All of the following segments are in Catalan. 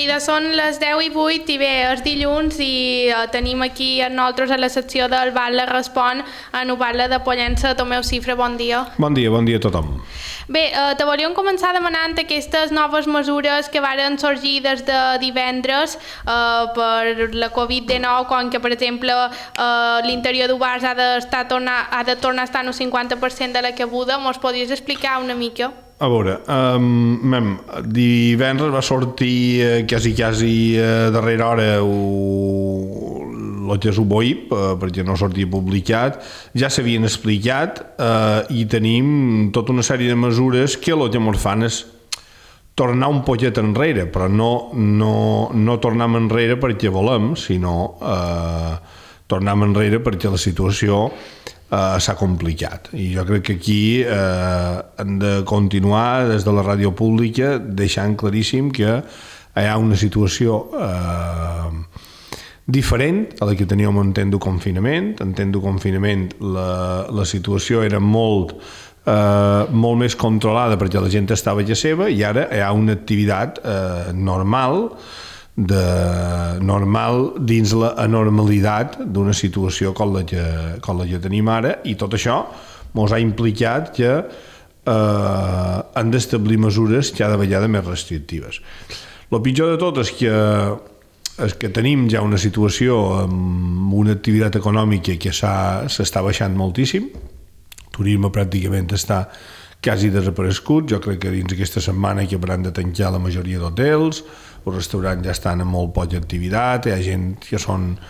seguida són les 10:08 i bé, és dilluns i tenim aquí amb nosaltres a la secció del Batlle Respon en ho parla de Pollença, Tomeu Cifra, bon dia. Bon dia a tothom. Bé, te volíem començar demanant aquestes noves mesures que varen sorgir des de divendres per la Covid-19, com que, per exemple, l'interior d'Ubars ha de tornar a estar en un 50% de la cabuda. Mos podries explicar una mica? A veure, divendres va sortir quasi a darrera hora el que és un BOIP, perquè no sortia publicat, ja s'havien explicat i tenim tota una sèrie de mesures que el que ens fan és tornar un poquet enrere, però no tornar enrere perquè volem, sinó tornar enrere perquè la situació s'ha complicat. I jo crec que aquí hem de continuar des de la ràdio pública deixant claríssim que hi ha una situació diferent a la que teníem en temps de confinament. En temps de confinament la situació era molt més controlada perquè la gent estava a casa seva i ara hi ha una activitat normal dins la anormalitat d'una situació com la que tenim ara, i tot això ens ha implicat que han d'establir mesures cada vegada més restrictives. El pitjor de tot és que tenim ja una situació amb una activitat econòmica que s'està baixant moltíssim. El turisme pràcticament està quasi desaparegut. Jo crec que dins aquesta setmana que hauran de tancar la majoria d'hotels, els restaurants ja estan amb molt poca activitat, hi ha gent que són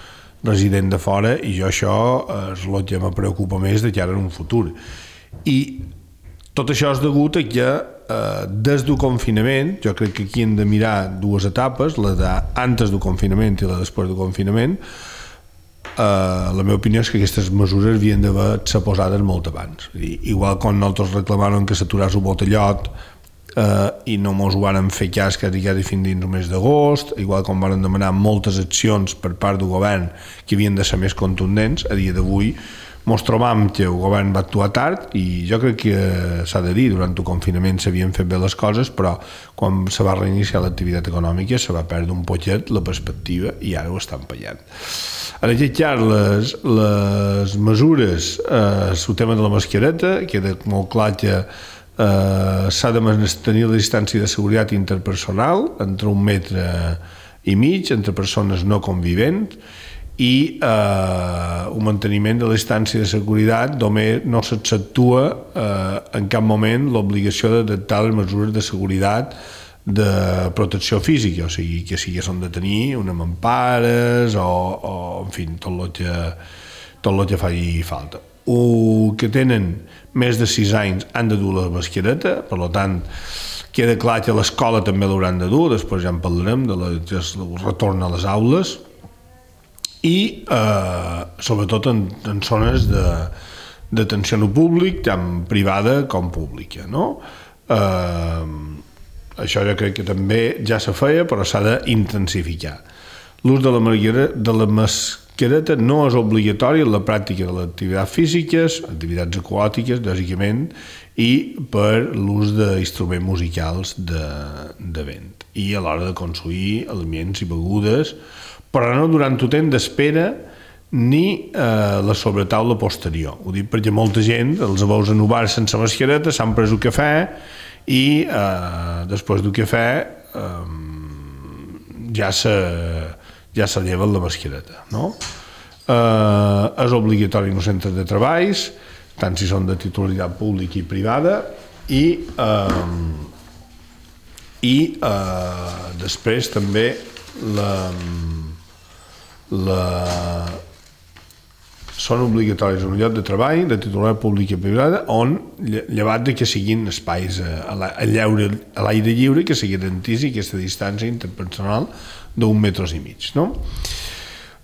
resident de fora, i jo això és el que me preocupa més de cara en un futur. I tot això és degut a que des del confinament, jo crec que aquí hem de mirar dues etapes, la d'antes del confinament i la després del confinament. La meva opinió és que aquestes mesures havien d'haver-se posades molt abans. Igual quan nosaltres reclamàvem que s'aturés el botellot i no mos ho varen fer cas quasi fins dins el mes d'agost, igual com varen demanar moltes accions per part del govern que havien de ser més contundents, a dia d'avui mos trobam que el govern va actuar tard, i jo crec que s'ha de dir, durant el confinament s'havien fet bé les coses, però quan se va reiniciar l'activitat econòmica se va perdre un poquet la perspectiva i ara ho estan pagant. En aquest cas, les mesures, el tema de la mascareta, queda molt clar que s'ha de mantenir la distància de seguretat interpersonal entre 1,5 metres entre persones no convivents, i el manteniment de la distància de seguretat només no s'accentua en cap moment l'obligació d'adaptar les mesures de seguretat de protecció física, o sigui, que sí que s'han de tenir unes mampares o en fi, tot el que faci falta. O que tenen més de 6 anys han de dur la mascareta, per tant queda clar que a l'escola també l'hauran de dur, després ja en parlarem del retorn a les aules, i sobretot en zones d'atenció al públic, tant privada com pública, no? Això jo crec que també ja se feia, però s'ha d'intensificar. L'ús de la mascareta no és obligatori en la pràctica de les activitats físiques, activitats aquàtiques, bàsicament, i per l'ús d'instruments musicals de vent, i a l'hora de consumir aliments i begudes, però no durant el temps d'espera ni la sobretaula posterior. Ho dic perquè molta gent els veus en un bar sense mascareta, s'han pres un cafè i després del cafè ja se lleven la mascareta, no? És obligatori en els centres de treballs, tant si són de titularitat pública i privada, i després també són obligatoris en un lloc de treball de titularitat pública i privada on, llevat de que siguin espais a l'aire lliure, que se garanteixi aquesta distància interpersonal d'1,5 metres, no?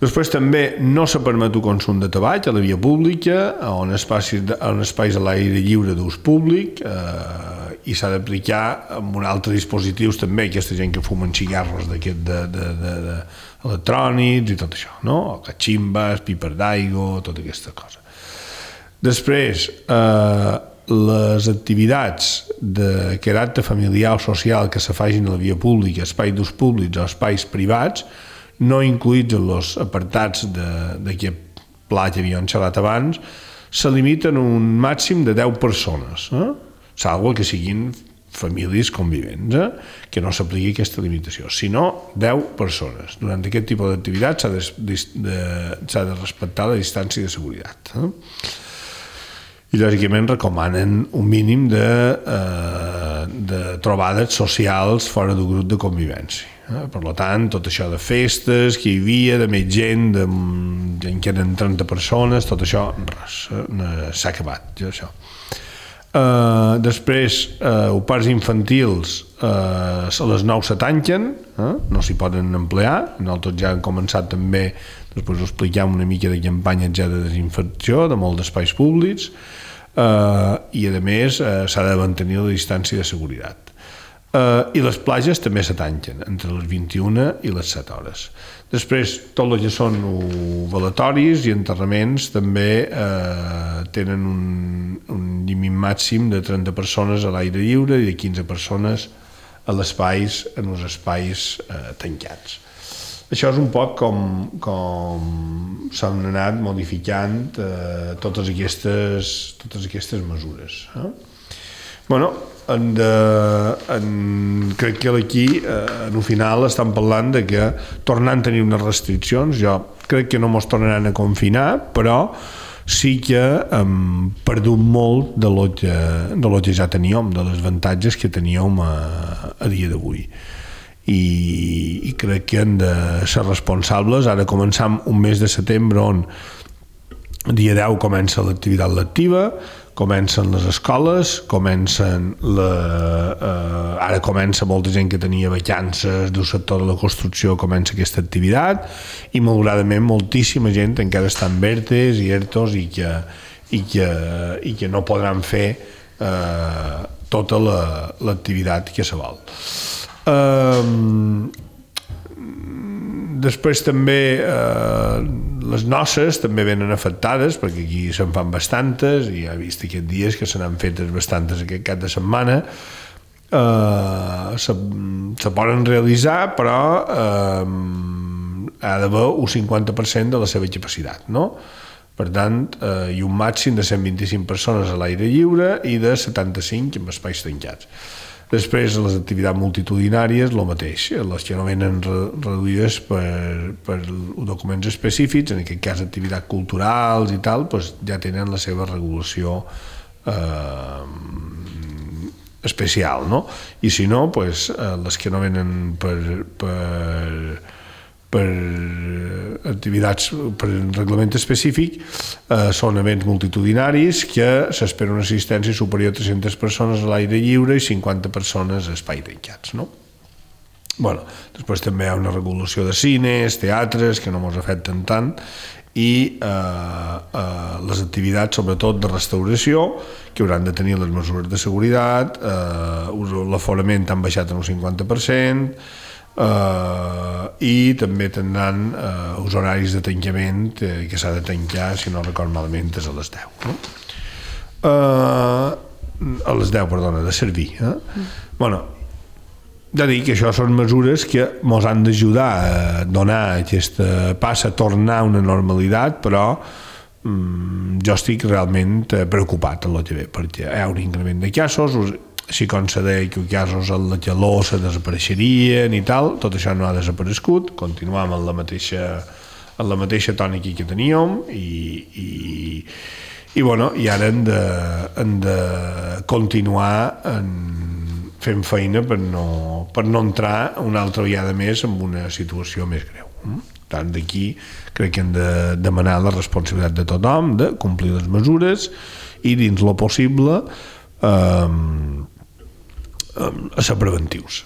Després també no se permet el consum de tabac a la via pública, en espais a l'aire lliure d'ús públic, i s'ha d'aplicar amb un altre dispositius també, aquesta gent que fumen cigarros electrònics i tot això, no? O cachimbas, pipes d'aigua, tota aquesta cosa. Després, les activitats de caràcter familiar o social que se facin a la via pública, espais d'ús públics o espais privats, no incluïts en els apartats d'aquest pla que havíem xerrat abans, se limiten un màxim de 10 persones, salvo que siguin famílies convivents, que no s'apliqui aquesta limitació, sinó 10 persones. Durant aquest tipus d'activitat s'ha de respectar la distància de seguretat. I lògicament recomanen un mínim de trobades socials fora del grup de convivència. Per tant, tot això de festes que hi havia, de més gent, que eren 30 persones, tot això, res, s'ha acabat, això. Després, opars infantils a les 9 se tanquen, no s'hi poden emplear. Nosaltres ja hem començat també, després ho expliquem, una mica de campanya ja de desinfecció de molts espais públics, i a més s'ha de mantenir la distància de seguretat. I les platges també se tanquen entre les 21 i les 7 hores. Després, tot el que són velatoris i enterraments també tenen un límit màxim de 30 persones a l'aire lliure i de 15 persones en els espais tancats. Això és un poc com s'han anat modificant totes aquestes mesures. Bueno, crec que aquí, en el final, estan parlant de que tornant a tenir unes restriccions, jo crec que no mos tornaran a confinar, però sí que hem perdut molt de lo que ja teníem, de les avantatges que teníem a dia d'avui. I crec que hem de ser responsables. Ara començam un mes de setembre on dia 10 comença l'activitat lectiva, comencen les escoles, ara comença molta gent que tenia vacances del sector de la construcció, comença aquesta activitat, i malauradament moltíssima gent encara està en ERTEs i ERTOs i que no podran fer tota l'activitat que se vol. Després també les noces també venen afectades, perquè aquí se'n fan bastantes, i ja he vist aquests dies que se n'han fetes bastantes aquest cap de setmana. Se poden realitzar, però ha d'haver un 50% de la seva capacitat, no? Per tant, hi ha un màxim de 125 persones a l'aire lliure i de 75 en espais tancats. Després, les activitats multitudinàries, el mateix. Les que no venen reduïdes per documents específics, en aquest cas activitats culturals i tal, doncs ja tenen la seva regulació especial, no? I si no, doncs, les que no venen per activitats per reglament específic són events multitudinaris que s'espera una assistència superior a 300 persones a l'aire lliure i 50 persones a espais tancats, no? Bueno, després també hi ha una regulació de cines, teatres, que no ens afecten tant, i les activitats, sobretot de restauració, que hauran de tenir les mesures de seguretat, l'aforament han baixat en un 50%, i també tindran els horaris de tancament que s'ha de tancar, si no record malament, és a les 10, no? A les 10, perdona, de servir. Bueno, ja dic que això són mesures que ens han d'ajudar a donar aquesta passa, a tornar a una normalitat, però jo estic realment preocupat en el que ve, perquè hi ha un increment de casos, així com se deia que els casos en la calor se desapareixerien i tal, tot això no ha desaparegut, continuem en la mateixa tònica que teníem i ara hem de continuar fent feina per no entrar una altra vegada més en una situació més greu. Tant d'aquí crec que hem de demanar la responsabilitat de tothom, de complir les mesures i dins lo possible a ser preventius.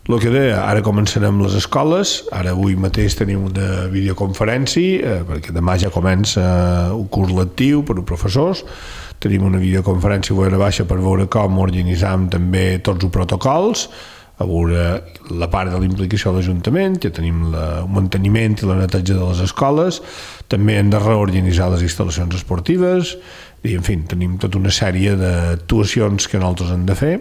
El que deia, ara començarem les escoles, ara avui mateix tenim una videoconferència, perquè demà ja comença un curs lectiu per als professors, tenim una videoconferència a baixa per veure com organitzam també tots els protocols, a veure la part de la implicació de l'Ajuntament, que tenim el manteniment i la neteja de les escoles, també hem de reorganitzar les instal·lacions esportives, i en fi, tenim tota una sèrie d'actuacions que nosaltres hem de fer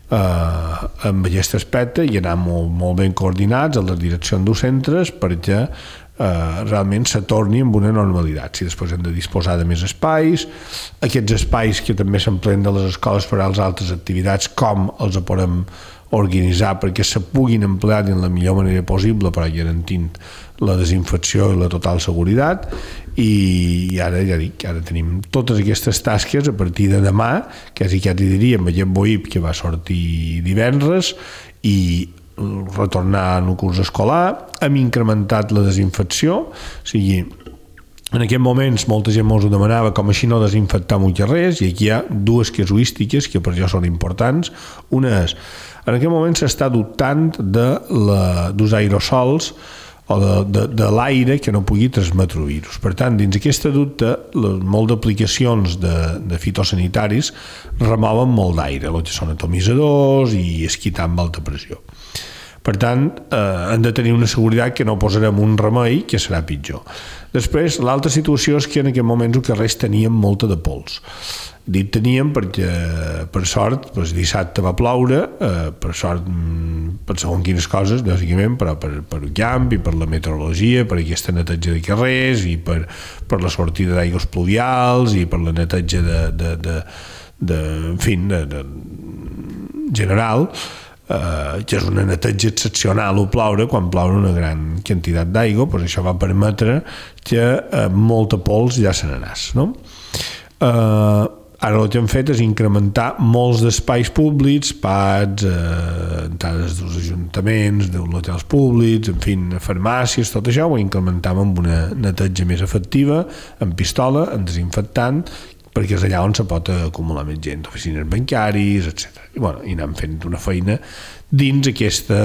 amb aquest aspecte i anar molt ben coordinats a les direccions dels centres perquè realment se torni amb una normalitat. Si després hem de disposar de més espais, aquests espais que també s'empleen de les escoles per a les altres activitats, com els podem organitzar perquè se puguin emplear de la millor manera possible, però garantint la desinfecció i la total seguretat. I ara ja dic, ara tenim totes aquestes tasques a partir de demà, quasi diríem aquest BOIP que va sortir divendres, i retornar en el curs escolar. Hem incrementat la desinfecció, o sigui, en aquests moments molta gent ens ho demanava, com així no desinfectar molt res, i aquí hi ha dues casuístiques que per jo són importants. Una és, en aquest moment s'està dubtant dels aerosols o de l'aire que no pugui transmetre virus. Per tant, dins aquesta dubte, molt d'aplicacions de fitosanitaris remouen molt d'aire, el que són atomitzadors i esquitar amb alta pressió. Per tant, hem de tenir una seguretat que no posarem un remei que serà pitjor. Després, l'altra situació és que en aquest moment els carrers teníem molta de pols. Dit teníem perquè, per sort, dissabte va ploure, per sort, per segons quines coses, bàsicament, però per el camp i per la meteorologia, per aquesta neteja de carrers i per la sortida d'aigües pluvials i per la neteja general, que és una neteja excepcional o ploure quan ploure una gran quantitat d'aigua, doncs això va permetre que molta pols ja se n'anés, no? Ara el que hem fet és incrementar molts d'espais públics, pads, entrades dels ajuntaments, dels hotels públics, en fi, farmàcies, tot això ho incrementem amb una neteja més efectiva, amb pistola, amb desinfectant, perquè és allà on se pot acumular més gent, oficines bancaris, etc. I anem fent una feina dins aquesta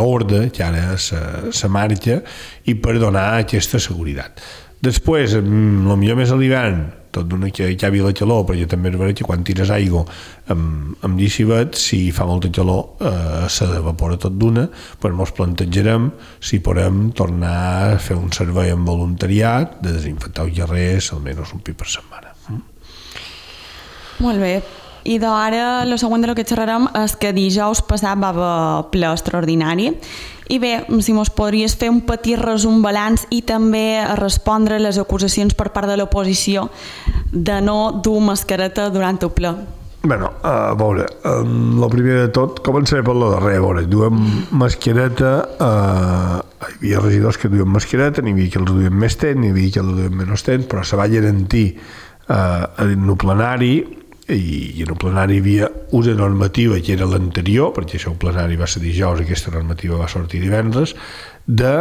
ordre que ara se marxa i per donar aquesta seguretat. Després, potser més a l'hivern, tot d'una que hi ha la calor, perquè també és veritat que quan tires aigua amb llicivet, si fa molta calor s'evapora tot d'una, però ens plantejarem si podem tornar a fer un servei amb voluntariat de desinfectar els carrers almenys un cop per setmana. Molt bé. I d'ara, el següent de lo que xerrarem és que dijous passat va haver ple extraordinari. I bé, si mos podries fer un petit resum balanç i també respondre a les acusacions per part de l'oposició de no dur mascareta durant el ple. A veure, el primer de tot, començaré per la darrera. A veure, duem mascareta, hi havia regidors que duien mascareta, n'hi havia que els duien més temps, n'hi havia que els duien menys temps, però se va garantir en el plenari, i en el plenari hi havia una normativa que era l'anterior, perquè això el plenari va ser dijous, aquesta normativa va sortir divendres, de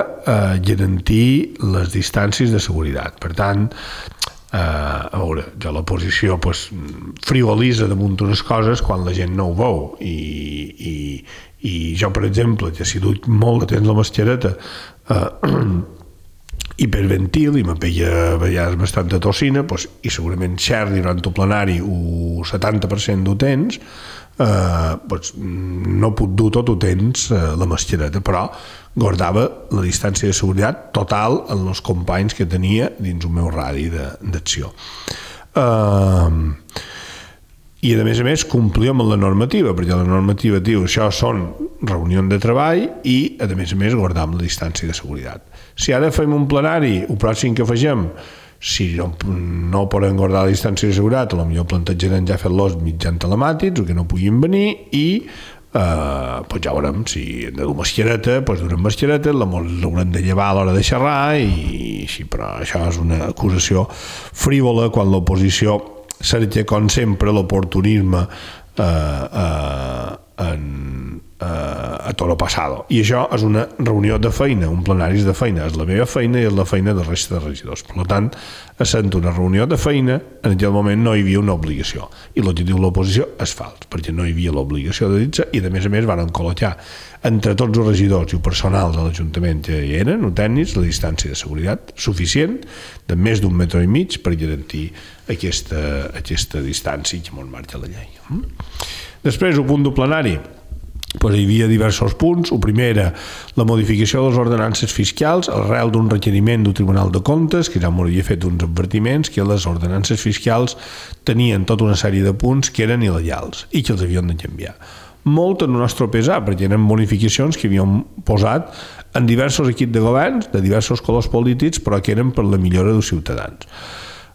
garantir les distàncies de seguretat. Per tant, a veure, ja l'oposició frivolitza damunt unes coses quan la gent no ho veu, i jo, per exemple, que si duc molt de temps la mascareta hiperventil i me veia a vegades bastant de tossina, i segurament xerri durant el plenari el 70% del temps, no puc dur tot el temps la mascareta, però guardava la distància de seguretat total en els companys que tenia dins el meu radi d'acció. I a més complir amb la normativa, perquè la normativa diu això són reunions de treball i a més guardar amb la distància de seguretat. Si ara fem un plenari, el pròxim que afegem, si no podem guardar la distància de seguretat, potser plantejarem ja fer-los mitjans telemàtics o que no puguin venir i ja veurem si hem de dur mascareta, durem mascareta, l'haurem de llevar a l'hora de xerrar, però això és una acusació frívola quan l'oposició cerca, com sempre, l'oportunisme a toro passado. I això és una reunió de feina, un plenari de feina, és la meva feina i és la feina de la resta de regidors. Per tant, essent una reunió de feina, en aquell moment no hi havia una obligació. I l'objectiu de l'oposició és fals, perquè no hi havia l'obligació de dir-se i, a més, van col·locar entre tots els regidors i el personal de l'Ajuntament que hi eren, o tècnics, la distància de seguretat suficient de més d'1,5 metres per garantir aquesta distància que ens marca la llei. Després, el punt del plenari, hi havia diversos punts. El primer era la modificació de les ordenances fiscals arrel d'un requeriment del Tribunal de Comptes, que ja m'hauria fet uns advertiments que les ordenances fiscals tenien tota una sèrie de punts que eren il·legals i que els havien de canviar. Molt en el nostre pesar, perquè eren bonificacions que havíem posat en diversos equips de governs, de diversos colors polítics, però que eren per la millora dels ciutadans.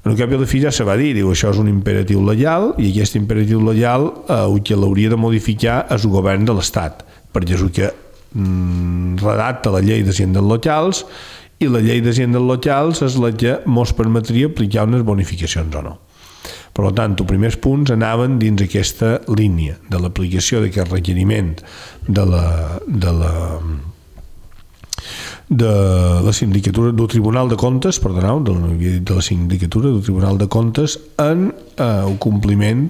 En el cap i a la fi ja se va dir, això és un imperatiu legal i aquest imperatiu legal el que l'hauria de modificar és el govern de l'Estat, perquè és el que redacta la llei d'hisendes locals i la llei d'hisendes locals és la que ens permetria aplicar unes bonificacions o no. Per tant, els primers punts anaven dins aquesta línia de l'aplicació d'aquest requeriment de la sindicatura del Tribunal de Comptes, perdoneu, de la sindicatura del Tribunal de Comptes en el compliment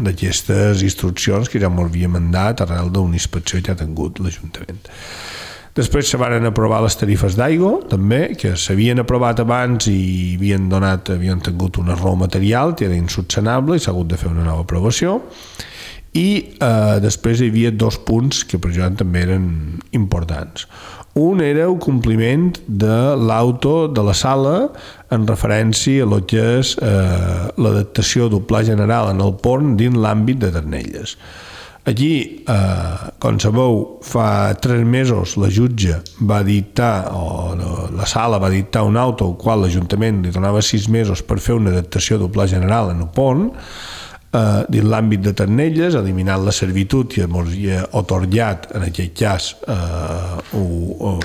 d'aquestes instruccions que ja m'ho havia mandat arrel d'una inspecció que ha tingut l'Ajuntament. Després se van aprovar les tarifes d'aigua, també, que s'havien aprovat abans i havien tingut un error material que era insubsanable i s'ha hagut de fer una nova aprovació. I després hi havia dos punts que per jo també eren importants. Un era el compliment de l'auto de la sala en referència a lo que és l'adaptació del Pla General en el pont dins l'àmbit de Ternelles. Aquí, com sabeu, fa 3 mesos la jutge va dictar, o la sala va dictar un auto al qual l'Ajuntament li donava 6 mesos per fer una adaptació del Pla General en el pont, dins l'àmbit de Ternelles, eliminant la servitud que ens havia atorgat, en aquest cas, o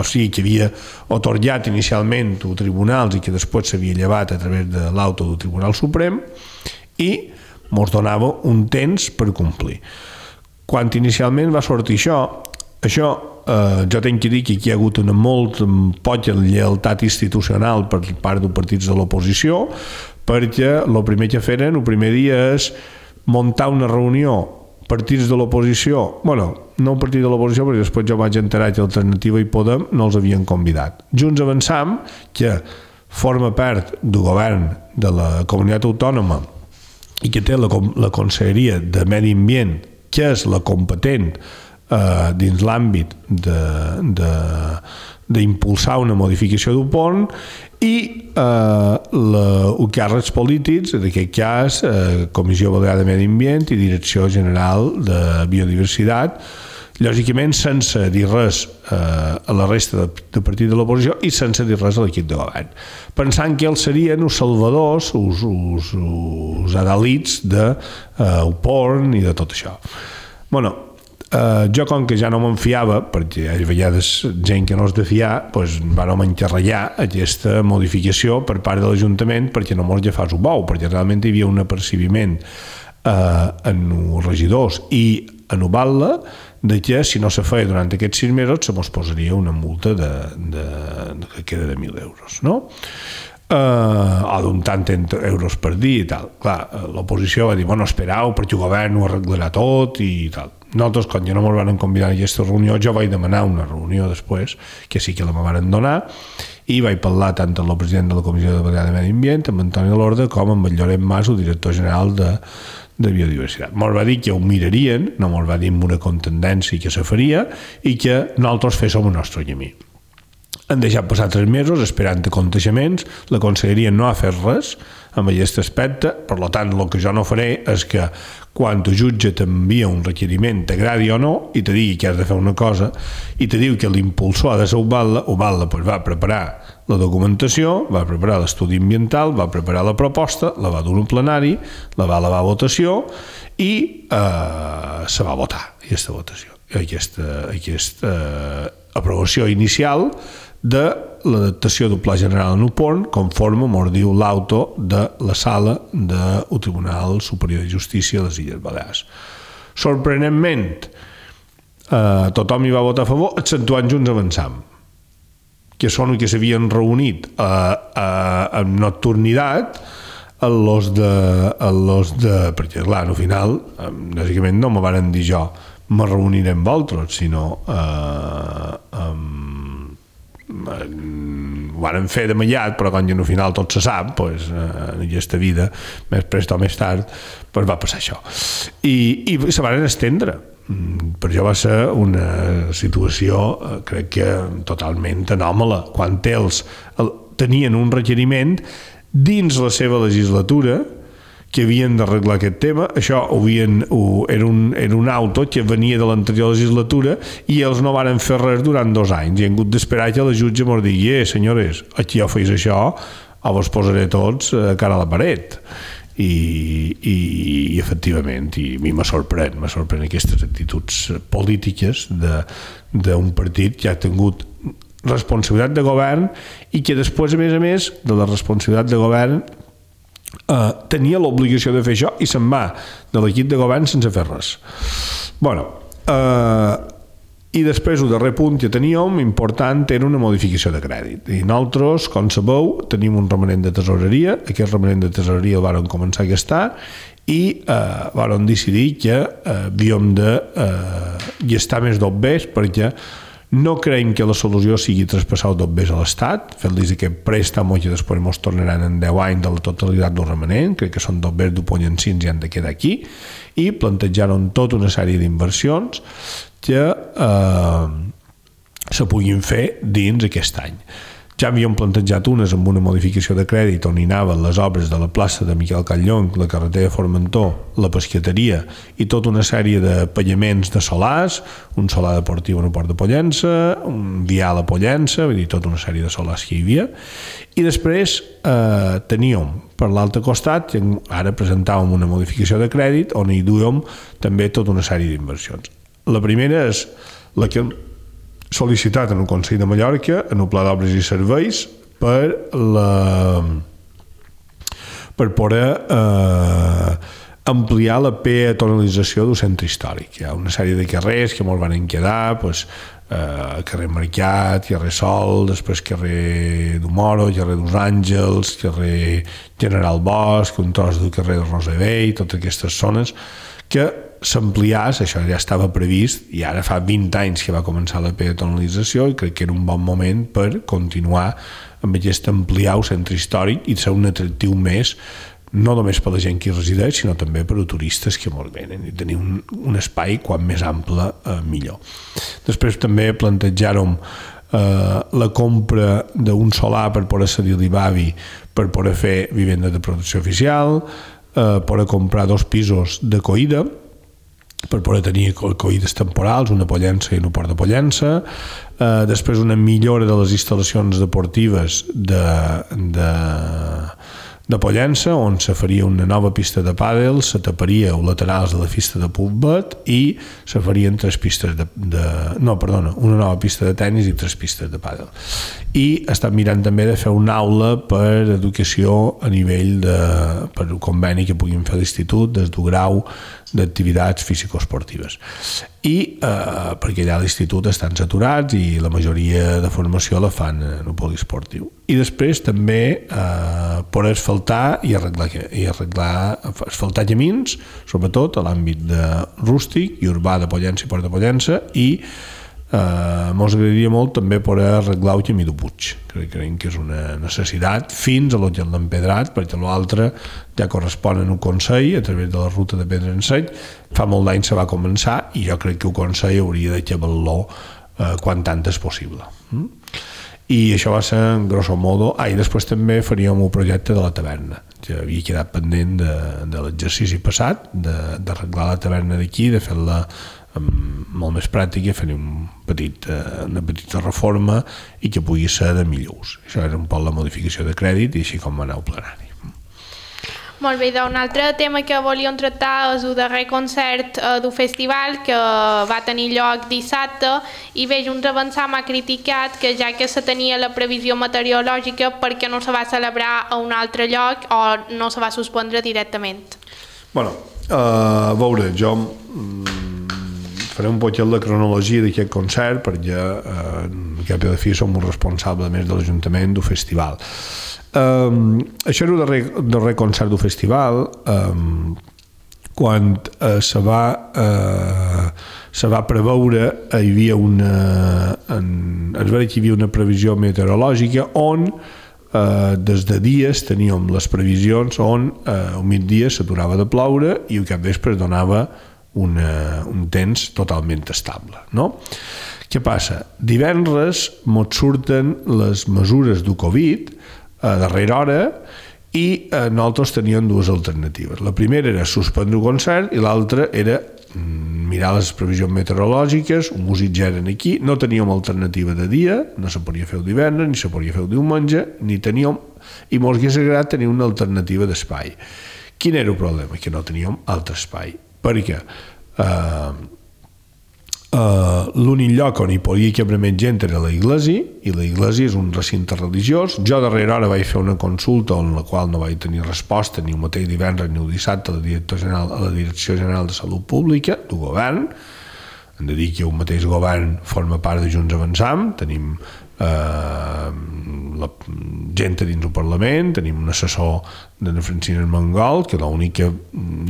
sigui, que havia atorgat inicialment els tribunals i que després s'havia llevat a través de l'auto del Tribunal Suprem, i ens donava un temps per complir. Quan inicialment va sortir això, jo tinc que dir que aquí hi ha hagut una molt poca lleialtat institucional per part dels partits de l'oposició, perquè el primer que feren, el primer dia, és muntar una reunió partits de l'oposició, no un partit de l'oposició, perquè després jo vaig enterar que Alternativa i Podem no els havien convidat. Junts Avançam, que forma part del govern de la comunitat autònoma i que té la Conselleria de Medi Ambient, que és la competent dins l'àmbit d'impulsar una modificació del pont, i els càrrecs polítics, en aquest cas Comissió Balear de Medi Ambient i Direcció General de Biodiversitat, lògicament sense dir res a la resta de partit de l'oposició i sense dir res a l'equip de govern, pensant que ells serien els salvadors, els adalits del pont i de tot això. Jo, com que ja no me'n fiava, perquè hi ha vegades gent que no és de fiar, vam encarregar aquesta modificació per part de l'Ajuntament perquè no mos agafàs un bou, perquè realment hi havia un apercibiment en els regidors i en Ubalda de que si no se feia durant aquests 6 mesos se mos posaria una multa que queda de 1.000 euros, no? O d'un tant euros per dia i tal. Clar, l'oposició va dir, esperau, perquè el govern ho arreglarà tot i tal. Nosaltres, quan ja no ens van convidar a aquesta reunió, jo vaig demanar una reunió després, que sí que la me van donar, i vaig parlar tant amb el president de la Comissió de Balear de Medi Ambient, amb Antoni Lorda, com amb el Lloret Mas, el director general de Biodiversitat. Ens va dir que ho mirarien, no ens va dir amb una contundència que se faria, i que nosaltres féssim el nostre camí. Han deixat passar 3 mesos esperant aconteixements, la Conselleria no ha fet res amb aquest aspecte, per tant, el que jo no faré és que quan el jutge t'envia un requeriment, t'agradi o no, i te digui que has de fer una cosa, i te diu que l'impulsor ha de ser Ubalda va preparar la documentació, va preparar l'estudi ambiental, va preparar la proposta, la va dur a un plenari, la va elevar a votació i se va votar aquesta votació, aquesta aprovació inicial de l'adaptació del Pla General en el pont, conforme ens diu l'auto de la sala del Tribunal Superior de Justícia de les Illes Balears. Sorprenentment, tothom hi va votar a favor, exceptuant Junts Avançam, que són que s'havien reunit en nocturnitat perquè clar, al final bàsicament no me varen dir jo me reuniré amb vosaltres, sinó ho varen fer de mallat, però quan al final tot se sap, pues, en aquesta vida més prest o més tard pues va passar això i se varen estendre. Per això va ser una situació crec que totalment anòmala, quan ells tenien un requeriment dins la seva legislatura que havien d'arreglar aquest tema. Això era un auto que venia de l'anterior legislatura i ells no varen fer res durant 2 anys i han hagut d'esperar que la jutge mos digui senyores, aquí ja feis això o vos posaré tots cara a la paret. I efectivament, i a mi me sorprèn aquestes actituds polítiques d'un partit que ha tingut responsabilitat de govern i que després, a més de la responsabilitat de govern, tenia l'obligació de fer això i se'n va de l'equip de govern sense fer res. I després el darrer punt que teníem important era una modificació de crèdit i nosaltres, com sabeu, tenim un remanent de tesoreria. Aquest remanent de tesoreria el vàrem començar a gastar i vàrem decidir que havíem de gastar més d'OBs perquè no creiem que la solució sigui traspassar el d'OBs a l'Estat, fer-los aquest préstec que després ens tornaran en 10 anys de la totalitat del remanent. Crec que són d'OBs d'Upollancins i han de quedar aquí, i plantejaron tota una sèrie d'inversions que se puguin fer dins aquest any. Ja havíem plantejat unes amb una modificació de crèdit on hi anaven les obres de la plaça de Miquel Catllong, la carretera de Formentor, la pescateria i tota una sèrie de pagaments de solars, un solar deportiu en el Port de Pollença, un vial a Pollença, vull dir, tota una sèrie de solars que hi havia. I després teníem per l'altre costat, ara presentàvem una modificació de crèdit on hi duíem també tota una sèrie d'inversions. La primera és la que sol·licitat en el Consell de Mallorca, en el Pla d'Obres i Serveis, per poder ampliar la peatonalització del centre històric. Hi ha una sèrie de carrers que molt van quedar, carrer Mercat, carrer Sol, després carrer du Moro, carrer dos Àngels, carrer General Bosch, un tros del carrer de Rosevell, totes aquestes zones que s'ampliàs, això ja estava previst i ara fa 20 anys que va començar la peatonalització i crec que era un bon moment per continuar amb aquest ampliar el centre històric i ser un atractiu més, no només per la gent que hi resideix, sinó també per a turistes que molt venen i tenir un espai quan més ample millor. Després també plantejàrem la compra d'un solar per poder cedir l'IBAVI per poder fer vivenda de protecció oficial, poder comprar 2 pisos de Coïda per poder tenir coïdes temporals, una a Pollença i un Port de Pollença, després una millora de les instal·lacions deportives de Pollença, on se faria una nova pista de pàdel, se taparia els laterals de la pista de púlbet i se farien 3 pistes una nova pista de tennis i 3 pistes de pàdel. I estan mirant també de fer una aula per educació a nivell per un conveni que puguin fer a l'institut des del grau d'activitats físico-esportives. I perquè allà a l'institut estan saturats i la majoria de formació la fan en el poliesportiu. I després també per asfaltar i asfaltar camins, sobretot a l'àmbit de rústic i urbà de Pollença i Port de Pollença, i ens agradaria molt també poder arreglar el camí de Puig. Creiem que és una necessitat fins a l'Hotel d'Empedrat, perquè l'altre ja correspon en un Consell a través de la ruta de Pedra en Sec. Fa molt d'anys se va començar i jo crec que el Consell hauria de xavar-lo quan antes possible. I això va ser en grosso modo. I després també faríem un projecte de la taverna, que havia quedat pendent de l'exercici passat, d'arreglar la taverna d'aquí, de fer-la molt més pràctica, fer una petita reforma i que pugui ser de millor ús. Això era un poc la modificació de crèdit i així com va anar el plenari. Molt bé, un altre tema que volíem tractar és el darrer concert del festival que va tenir lloc dissabte i bé, Junts Avançam ha criticat que ja que se tenia la previsió meteorològica perquè no se va celebrar a un altre lloc o no se va suspendre directament. A veure, jo faré un poquet la cronologia d'aquest concert perquè al cap i a la fi som un responsable més de l'Ajuntament del festival. Això era el darrer concert del festival. Quan se va preveure, hi havia es va dir que hi havia una previsió meteorològica on des de dies teníem les previsions on al migdia s'aturava de ploure i al capvespre donava un temps totalment estable, no? Què passa? Divendres mos surten les mesures del Covid a darrera hora i nosaltres teníem dues alternatives. La primera era suspendre el concert i l'altra era mirar les previsions meteorològiques, un músic ja eren aquí, no teníem alternativa de dia, no se podia fer el divendres, ni se podia fer el diumenge, ni teníem, i mos hagués agradat tenir una alternativa d'espai. Quin era el problema? Que no teníem altre espai, perquè l'únic lloc on hi podia cabre més gent era la iglesia, i la iglesia és un recinte religiós. Jo darrere hora vaig fer una consulta en la qual no vaig tenir resposta ni el mateix divendres ni el dissabte a la Direcció General de Salut Pública del govern. Hem de dir que el mateix govern forma part de Junts Avançam, tenim la gent dins el Parlament, tenim un assessor de Francina Armengol, que l'únic que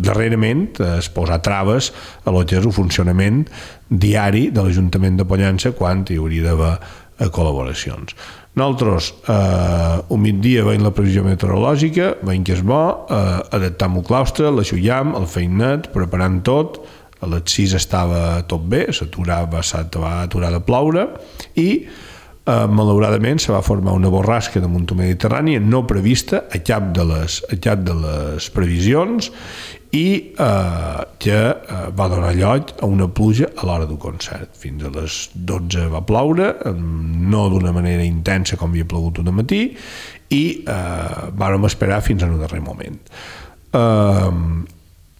darrerament és posar traves a lo que és el funcionament diari de l'Ajuntament de Pollença quan hi hauria d'haver col·laboracions. Nosaltres un migdia veiem la previsió meteorològica, veiem que és bo, adaptam el claustre, l'aixullam, el feim net, preparant tot, a les 6 estava tot bé, va aturar de ploure i malauradament se va formar una borrasca damunt el Mediterrani no prevista a cap de les previsions i que va donar lloc a una pluja a l'hora del concert. Fins a les 12 va ploure, no d'una manera intensa com havia plogut un matí, i vàrem esperar fins al darrer moment.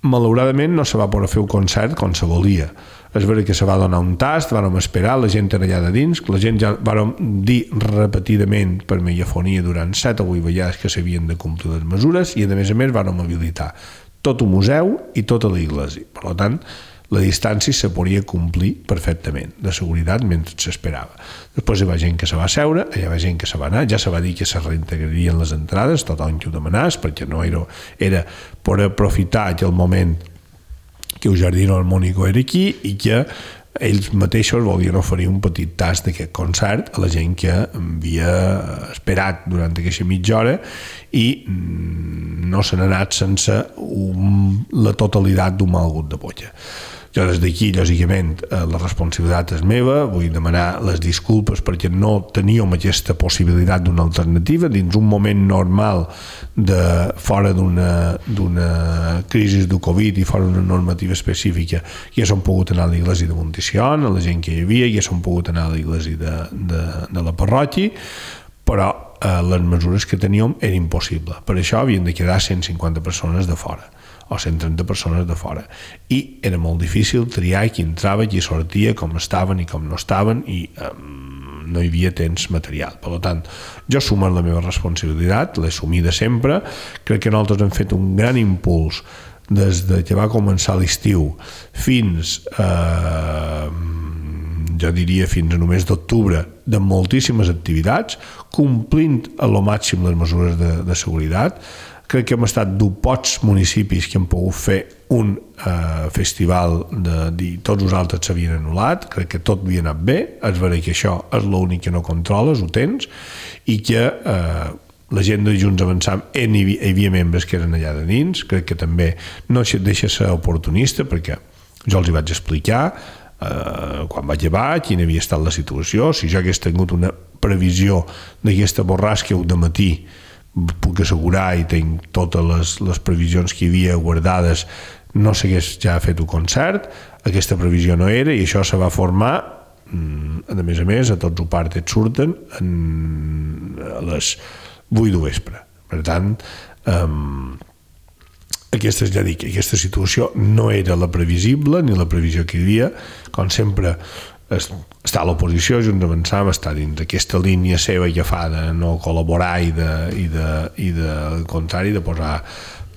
Malauradament no se va poder fer el concert com se volia. És veritat que se va donar un tast, vàrem esperar, la gent era allà de dins, la gent ja vàrem dir repetidament per megafonia durant 7 o 8 vegades que s'havien de complir les mesures i a més vàrem habilitar tot el museu i tota la iglesia. Per tant, la distància se podia complir perfectament, de seguretat, mentre s'esperava. Després hi va gent que se va seure, hi va gent que se va anar, ja se va dir que se reintegrarien les entrades, tothom que ho demanàs, perquè no era per aprofitar aquell moment que el Jardino Harmónico era aquí i que ells mateixos volien oferir un petit tast d'aquest concert a la gent que havia esperat durant aquesta mitja hora i no se n'ha anat sense la totalitat d'un mal gut de bolla. Jo des d'aquí, lògicament, la responsabilitat és meva, vull demanar les disculpes perquè no teníem aquesta possibilitat d'una alternativa dins un moment normal fora d'una crisi del Covid i fora d'una normativa específica. Ja s'han pogut anar a l'església de Monticion, a la gent que hi havia, ja s'han pogut anar a l'església de la parròquia, però les mesures que teníem eren impossibles. Per això havien de quedar 150 persones de fora o 130 persones de fora i era molt difícil triar qui entrava, qui sortia, com estaven i com no estaven i no hi havia temps material. Per tant, jo assumo la meva responsabilitat, l'he assumida sempre. Crec que nosaltres hem fet un gran impuls des que va començar l'estiu fins jo diria fins a només d'octubre, de moltíssimes activitats, complint a lo màxim les mesures de seguretat. Crec que hem estat de pocs municipis que han pogut fer un festival tots els altres s'havien anul·lat, crec que tot havia anat bé, és veritat que això és l'únic que no controles, ho tens, i que la gent de Junts Avançam hi havia membres que eren allà de dins, crec que també no deixa ser oportunista perquè jo els hi vaig explicar quan vaig llevar, quina havia estat la situació, si jo hagués tingut una previsió d'aquesta borrasca de matí puc assegurar i tinc totes les previsions que hi havia guardades, no s'hagués ja fet un concert, aquesta previsió no era i això se va formar a més a tots els parts surten a les 8 de vespre. Per tant, aquesta situació no era la previsible ni la previsió que hi havia. Com sempre està a l'oposició, Junts Avançam està dins d'aquesta línia seva ja fa de no col·laborar i al contrari de posar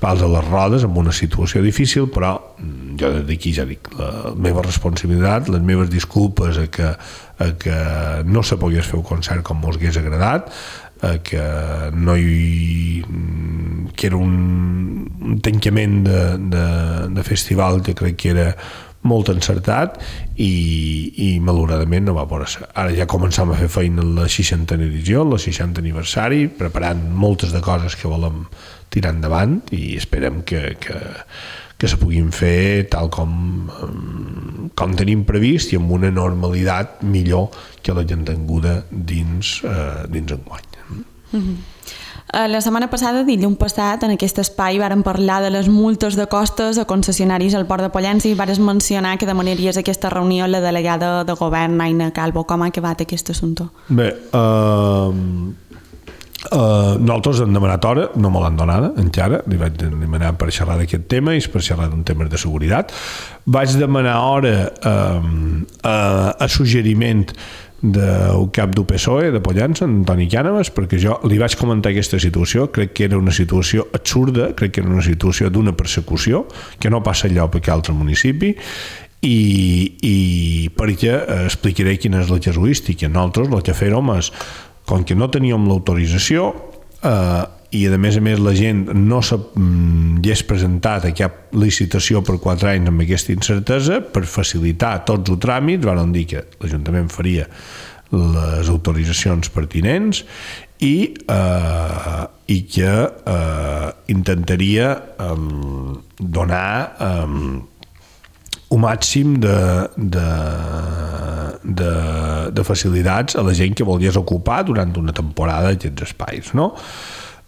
pals a les rodes en una situació difícil, però jo des d'aquí ja dic, la meva responsabilitat, les meves disculpes a que no se pogués fer un concert com mos hagués agradat, que era un tancament de festival que crec que era molt encertat i malauradament no va poder ser. Ara ja començam a fer feina en la 60a edició, en el 60 aniversari, preparant moltes de coses que volem tirar endavant i esperem que se puguin fer tal com tenim previst i amb una normalitat millor que la que hem tinguda dins enguany. La setmana passada, dilluns passat, en aquest espai vàrem parlar de les multes de costes a concessionaris al Port de Pollença i vàrem mencionar que demanaries aquesta reunió la delegada de govern, Aina Calvo. Com ha acabat aquest assumpte? Bé, nosaltres hem demanat hora, no me l'han donada encara, li vaig demanar per xerrar d'aquest tema i per xerrar d'un tema de seguretat. Vaig demanar hora a suggeriment del cap del PSOE de Pollença, Antoni Cànovas, perquè jo li vaig comentar aquesta situació. Crec que era una situació absurda, crec que era una situació d'una persecució que no passa enlloc a cap altre municipi i perquè explicaré quina és la casuística. Nosaltres el que fèrem és, com que no teníem l'autorització i a més la gent no s'hagués presentat a cap licitació per 4 anys amb aquesta incertesa, per facilitar tots els tràmits van dir que l'Ajuntament faria les autoritzacions pertinents i que intentaria donar un màxim de facilitats a la gent que volgués ocupar durant una temporada aquests espais, no?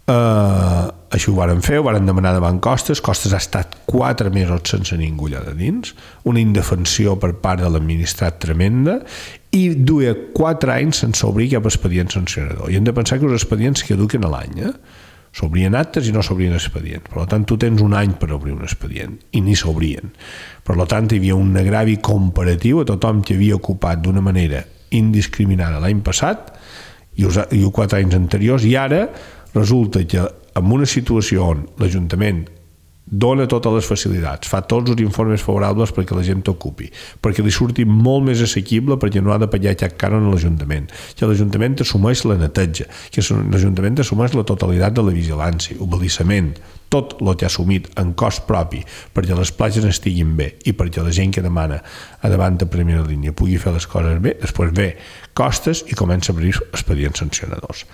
Això ho varen fer, ho varen demanar davant Costes ha estat 4 mesos sense ningú allà de dins, una indefensió per part de l'administrat tremenda i duia 4 anys sense obrir cap expedient sancionador. I hem de pensar que els expedients caduquen a l'any, s'obrien actes i no s'obrien expedients. Per tant, tu tens un any per obrir un expedient i ni s'obrien. Per tant, hi havia un agravi comparatiu a tothom que havia ocupat d'una manera indiscriminada l'any passat i els 4 anys anteriors, i ara resulta que en una situació on l'Ajuntament dona totes les facilitats, fa tots els informes favorables perquè la gent t'ocupi, perquè li surti molt més assequible perquè no ha de pagar cap cànon a l'Ajuntament, que l'Ajuntament assumeix la neteja, que l'Ajuntament assumeix la totalitat de la vigilància, el balissament, tot el que ha assumit en cost propi perquè les platges estiguin bé i perquè la gent que demana a davant de primera línia pugui fer les coses bé, després ve Costes i comença a obrir expedients sancionadors.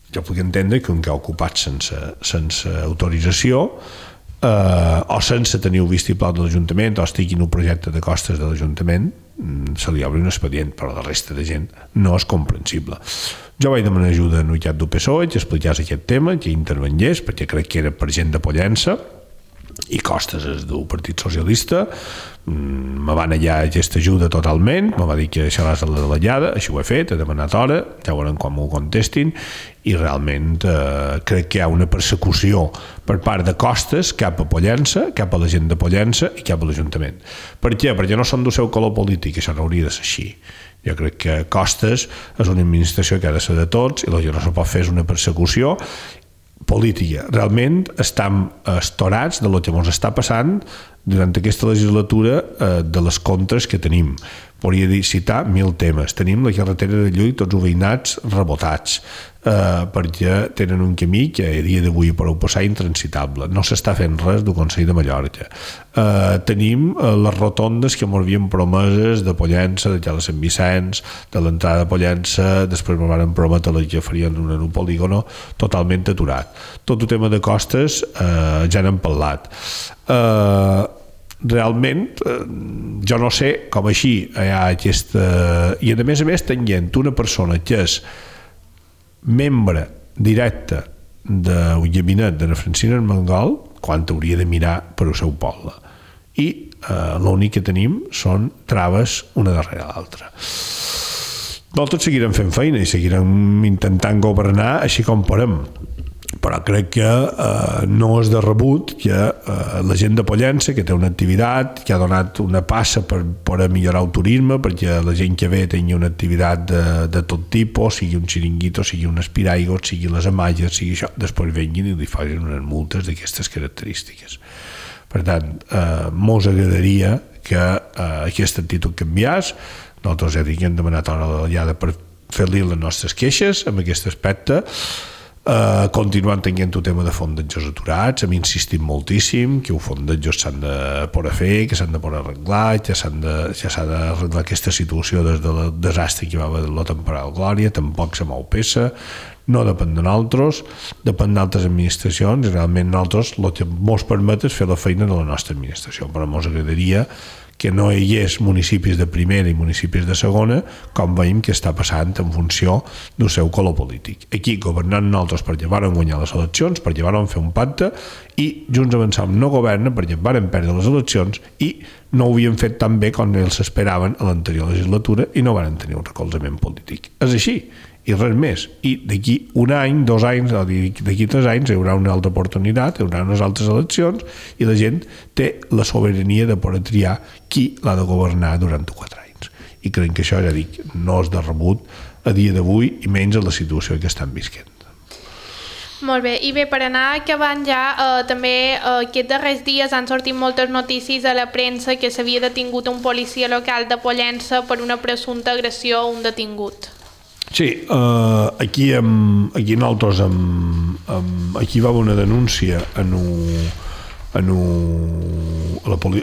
Jo puc entendre que un que ha ocupat sense autorització o sense tenir el vistiplau de l'Ajuntament o estigui en un projecte de Costes de l'Ajuntament se li obre un expedient, però la resta de gent no és comprensible. Jo vaig demanar ajuda en el cap del PSOE que explicés aquest tema, que intervengués, perquè crec que era per gent de Pollença i Costes és del Partit Socialista. Me van allà aquesta ajuda totalment, me va dir que xerràs a la delegada, així ho he fet, he demanat hora, ja veurem com m'ho contestin, i realment crec que hi ha una persecució per part de Costes cap a Pollença, cap a la gent de Pollença i cap a l'Ajuntament. Per què? Perquè no són del seu color polític, això no hauria de ser així. Jo crec que Costes és una administració que ha de ser de tots i el que no se pot fer és una persecució política. Realment estem estorats de lo que ens està passant durant aquesta legislatura de les contres que tenim. Podria citar 1000 temes. Tenim la carretera de Llull, tots els veïnats rebotats, perquè tenen un camí que a dia d'avui per passar intransitable. No s'està fent res del Consell de Mallorca. Tenim les rotondes que ens havien promeses de Pollença, de Cala Sant Vicenç, de l'entrada de Pollença, després ens van prometre que farien en un polígono totalment aturat. Tot el tema de Costes ja n'hem parlat. Realment jo no sé com així hi ha aquesta... I a més tenint una persona que és membre directe del gabinet de la Francina Armengol, quan hauria de mirar per al seu poble, i l'únic que tenim són traves una darrere l'altra. Nosaltres seguirem fent feina i seguirem intentant governar així com podem, però crec que no és de rebut que la gent de Pollença, que té una activitat, que ha donat una passa per millorar el turisme, perquè la gent que ve tingui una activitat de tot tipus, sigui un xiringuito, sigui un espiraigos, sigui les amalles, sigui això, després venguin i li facin unes multes d'aquestes característiques. Per tant, mos agradaria que aquesta actitud canviés. Nosaltres ja dic, hem demanat hora de la diada per fer-li les nostres queixes amb aquest aspecte. Continuant tenint el tema de fondejos aturats, hem insistit moltíssim que els fondejos s'han de poder fer, que s'han de poder arreglar, ja s'ha d'arreglar aquesta situació des del desastre que va haver la temporada Glòria. Tampoc se mou peça, no depèn de nosaltres, depèn d'altres administracions, i realment nosaltres el que ens permet és fer la feina de la nostra administració, però ens agradaria que no hi hagués municipis de primera i municipis de segona, com veiem que està passant en funció del seu color polític. Aquí, governant nosaltres perquè varen guanyar les eleccions, perquè varen fer un pacte, i Junts Avançam no governa perquè varen perdre les eleccions i no ho havien fet tan bé com ells esperaven a l'anterior legislatura i no varen tenir un recolzament polític. És així, i res més. I d'aquí un any, 2 anys, o d'aquí 3 anys hi haurà una altra oportunitat, hi haurà unes altres eleccions i la gent té la sobirania de poder triar qui l'ha de governar durant 4 anys. I crec que això, ja dic, no és de rebut a dia d'avui i menys a la situació que estan visquent. Molt bé, i bé, per anar acabant ja, també aquests darrers dies han sortit moltes notícies a la premsa que s'havia detingut un policia local de Pollença per una presumpta agressió a un detingut. Sí, aquí nosaltres aquí va haver una denúncia a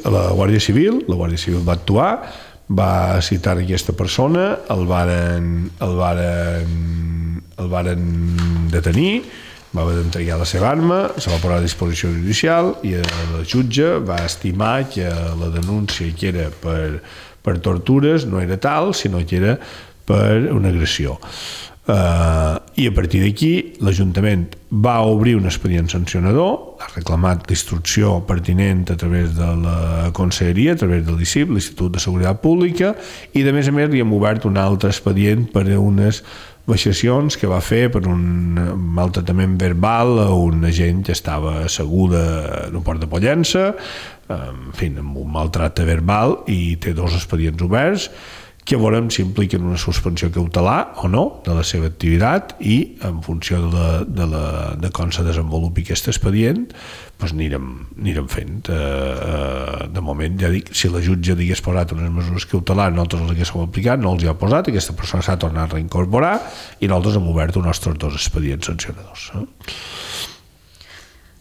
la Guàrdia Civil. La Guàrdia Civil va actuar, va citar aquesta persona, el varen detenir, va haver d'entregar la seva arma, se va posar a disposició judicial i el jutge va estimar que la denúncia que era per tortures no era tal, sinó que era per una agressió. I a partir d'aquí l'Ajuntament va obrir un expedient sancionador, ha reclamat l'instrucció pertinent a través de la Conselleria, a través de l'ICIP, l'Institut de Seguretat Pública, i de més a més li hem obert un altre expedient per unes vexacions que va fer per un maltractament verbal a un agent que estava asseguda en un port de Pollença, en fi, amb un maltracte verbal, i té 2 expedients oberts que veurem si impliquen una suspensió cautelar o no de la seva activitat, i en funció de com se desenvolupi aquest expedient doncs anirem fent. De moment, ja dic, si la jutge hagués posat unes mesures cautelars, nosaltres les haguéssim aplicat, no els hi ha posat, aquesta persona s'ha tornat a reincorporar i nosaltres hem obert els nostres 2 expedients sancionadors.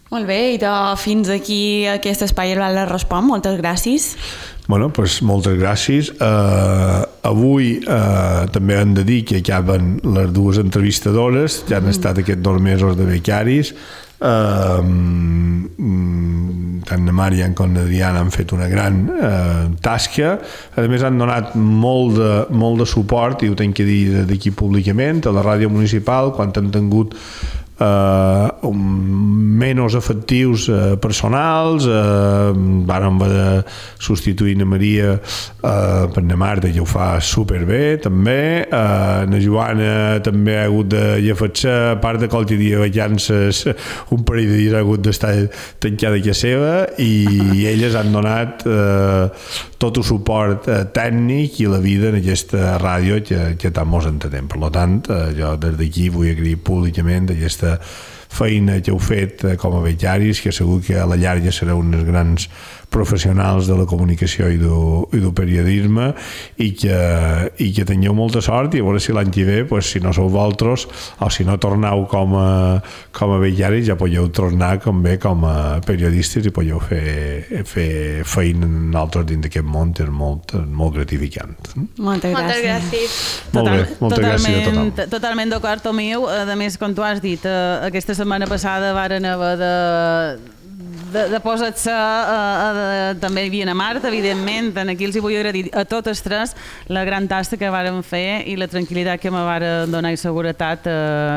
Molt bé, i fins aquí aquest espai Herbal Respon. Moltes gràcies. Bueno, doncs moltes gràcies. Avui també hem de dir que acaben les 2 entrevistadores, ja han estat aquests 2 mesos de becaris. Tant na Marian com na Diana han fet una gran tasca. A més, han donat molt de suport, i ho tenc que dir d'aquí públicament, a la ràdio municipal, quan han tingut menys efectius personals. Vàrem haver de substituir na Maria per na Marta, que ho fa superbé també. Na Joana també ha hagut de llefar-se, a part de qualsevol dia de vacances, un parell de dies ha hagut d'estar tancada a casa seva, i elles han donat tot el suport tècnic i la vida en aquesta ràdio que tant mos entenem. Per tant, jo des d'aquí vull agrair públicament aquesta feina que heu fet com a becaris, que segur que a la llarga sereu uns grans professionals de la comunicació i del periodisme, i que tingueu molta sort, i a veure si l'any que ve, si no sou vosaltres o si no torneu com a becaris, ja podeu tornar com a periodistes i podeu fer feina en altres dins d'aquest món, que és molt gratificant. Moltes gràcies. Molt bé, moltes gràcies a tothom. Totalment d'acord, Tomiu. A més, com tu has dit, aquesta setmana passada varen haver de posar-se, també hi havia a Marta, evidentment. Aquí els vull agrair a totes 3 la gran tasca que varen fer i la tranquil·litat que me varen donar i seguretat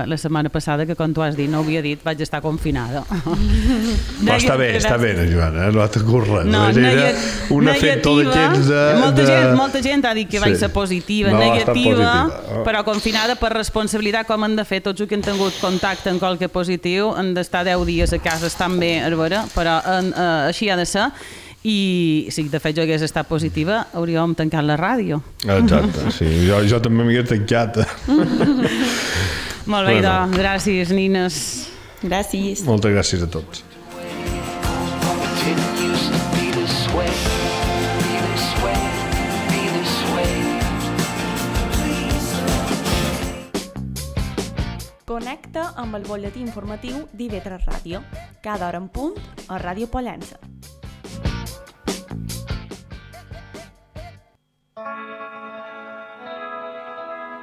la setmana passada, que com tu has dit, no ho havia dit, vaig estar confinada. Està bé, Joana, no t'ha corret. Era un efecte d'aquests molta gent ha dit que vaig ser positiva, negativa, però confinada per responsabilitat, com han de fer tots els que han tingut contacte amb qualque positiu, han d'estar 10 dies a casa, estan bé, però així ha de ser. I si de fet jo hagués estat positiva, hauríem tancat la ràdio. Exacte, sí, jo també m'hagués tancat. Molt bé, doncs, gràcies, nines. Gràcies. Moltes gràcies a tots. Connecta amb el butlletí informatiu d'IV3 Ràdio, cada hora en punt a Ràdio Pollença.